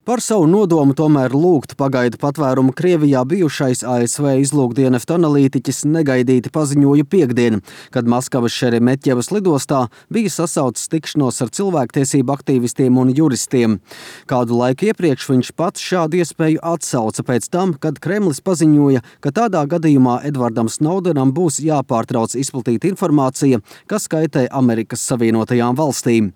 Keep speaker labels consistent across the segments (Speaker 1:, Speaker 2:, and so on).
Speaker 1: Par savu nodomu tomēr lūgt pagaidu patvērumu Krievijā bijušais ASV izlūkdienesta analītiķis negaidīti paziņoja piektdien, kad Maskavas Šeremetjevas lidostā bija sasaucis tikšanos ar cilvēktiesību aktīvistiem un juristiem. Kādu laiku iepriekš viņš pats šādu iespēju atsauca pēc tam, kad Kremlis paziņoja, ka tādā gadījumā Edvardam Snowdenam būs jāpārtrauc izplatīt informācija, kas kaitē Amerikas Savienotajām valstīm.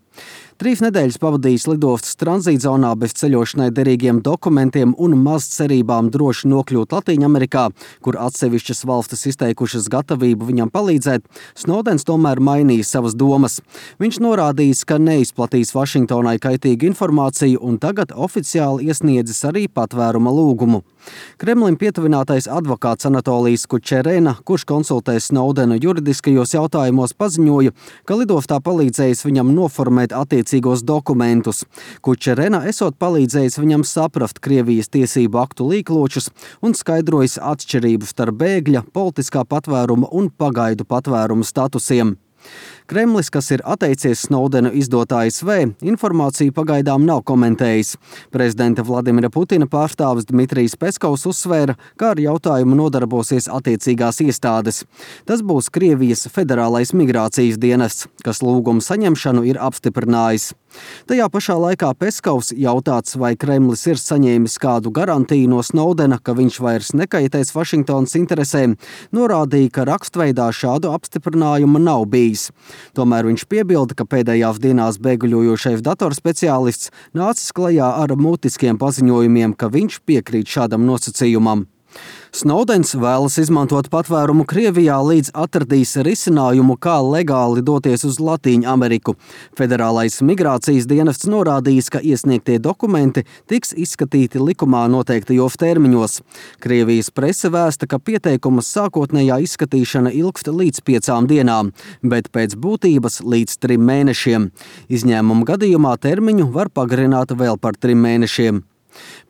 Speaker 1: 3 nedēļas pavadījis lidostas tranzītzonā bez ceļošanai derīgiem dokumentiem un maz cerībām droši nokļūt Latīņamerikā, kur atsevišķas valstis izteikušas gatavību viņam palīdzēt, Snowdens tomēr mainīja savas domas. Viņš norādījis, ka neizplatīs Vašingtonai kaitīgu informāciju un tagad oficiāli iesniedzis arī patvēruma lūgumu. Kremlim pietuvinātais advokāts Anatolijs Kučerena, kurš konsultē Snowdenu juridiskajos jautājumos, paziņoja, ka lidostā palīdzējis viņam noformēt attiecīgos dokumentus. Kučerena esot palīdzējis viņam saprast Krievijas tiesību aktu līkločus un skaidrojis atšķirību starp bēgļa, politiskā patvēruma un pagaidu patvērumu statusiem. Kremlis, kas ir atteicies Snowdenu izdot ASV, informāciju pagaidām nav komentējis. Prezidenta Vladimira Putina pārstāvis Dmitrijs Peskovs uzsvēra, ka ar jautājumu nodarbosies attiecīgās iestādes. Tas būs Krievijas federālais migrācijas dienests, kas lūgumu saņemšanu ir apstiprinājis. Tajā pašā laikā Peskovs jautāts, vai Kremlis ir saņēmis kādu garantiju no Snowdena, ka viņš vairs nekaitēs Vašingtonas interesēm, norādīja, ka rakstveidā šādu apstiprinājumu nav bijis. Tomēr viņš piebilda, ka pēdējās dienās bēguļojošais datorspeciālists nācis klajā ar mutiskiem paziņojumiem, ka viņš piekrīt šādam nosacījumam. Snowdens vēlas izmantot patvērumu Krievijā, līdz atradīs risinājumu, kā legāli doties uz Latīņu Ameriku. Federālais migrācijas dienests norādījis, ka iesniegtie dokumenti tiks izskatīti likumā noteiktajos termiņos. Krievijas prese vēsta, ka pieteikuma sākotnējā izskatīšana ilgst līdz 5 dienām, bet pēc būtības līdz 3 mēnešiem. Izņēmuma gadījumā termiņu var pagarināt vēl par 3 mēnešiem.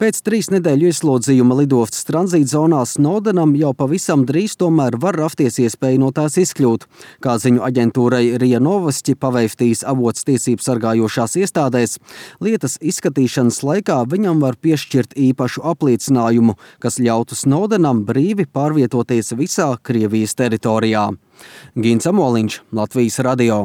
Speaker 1: Pēc 3 nedēļu ieslodzījuma lidostas tranzītzonā Snowdenam jau pavisam drīz tomēr var rasties iespēja no tās izkļūt. Kā ziņu aģentūrai RIA Novosti pavēstījis avots tiesību sargājošās iestādēs, lietas izskatīšanas laikā viņam var piešķirt īpašu apliecinājumu, kas ļautu Snowdenam brīvi pārvietoties visā Krievijas teritorijā. Gins Amoliņš, Latvijas radio.